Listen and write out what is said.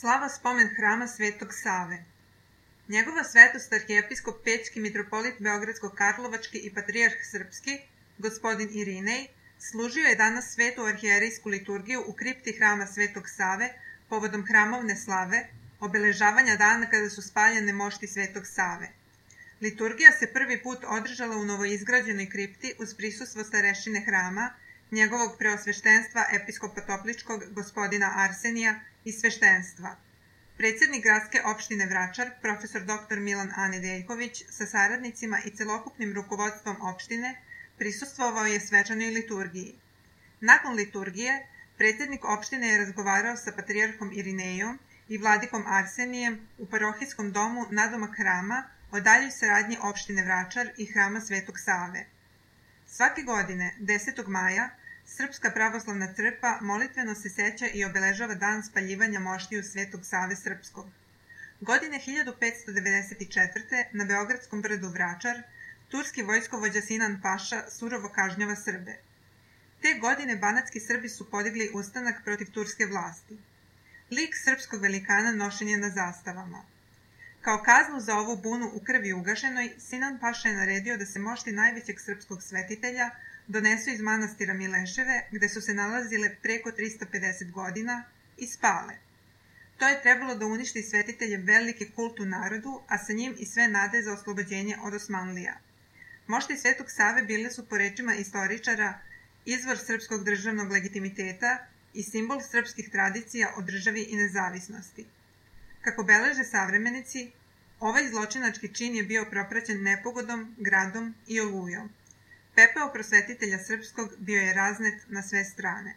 Slava spomen hrama Svetog Save. Njegova svetost arhijepiskop Pećki, mitropolit Beogradsko-Karlovački i patrijarh srpski, gospodin Irinej, služio je danas svetu arhijerejsku liturgiju u kripti hrama Svetog Save povodom hramovne slave, obeležavanja dana kada su spaljene mošti Svetog Save. Liturgija se prvi put održala u novoizgrađenoj kripti uz prisustvo starešine hrama, njegovog preosveštenstva episkopa Topličkog gospodina Arsenija i sveštenstva. Predsjednik gradske opštine Vračar, profesor dr. Milan Anedeljković, sa saradnicima i celokupnim rukovodstvom opštine, prisustvovao je svečanoj liturgiji. Nakon liturgije, predsjednik opštine je razgovarao sa patrijarhom Irinejom i vladikom Arsenijem u parohijskom domu nadomak hrama o daljoj saradnji opštine Vračar i hrama Svetog Save. Svake godine, 10. maja, Srpska pravoslavna crkva molitveno se seća i obeležava dan spaljivanja moštiju Svetog Save Srpskog. Godine 1594. na Beogradskom brdu Vračar, turski vojskovođa Sinan Paša surovo kažnjava Srbe. Te godine banatski Srbi su podigli ustanak protiv turske vlasti. Lik srpskog velikana nošen je na zastavama. Kao kaznu za ovu bunu u krvi ugašenoj, Sinan Paša je naredio da se mošti najvećeg srpskog svetitelja donesu iz manastira Mileševe, gde su se nalazile preko 350 godina, i spale. To je trebalo da uništi svetitelje veliki kult u narodu, a sa njim i sve nade za oslobođenje od Osmanlija. Mošti Svetog Save bile su, po rečima istoričara, izvor srpskog državnog legitimiteta i simbol srpskih tradicija o državi i nezavisnosti. Kako beleže savremenici, ovaj zločinački čin je bio propraćen nepogodom, gradom i olujom. Pepeo prosvetitelja srpskog bio je raznet na sve strane.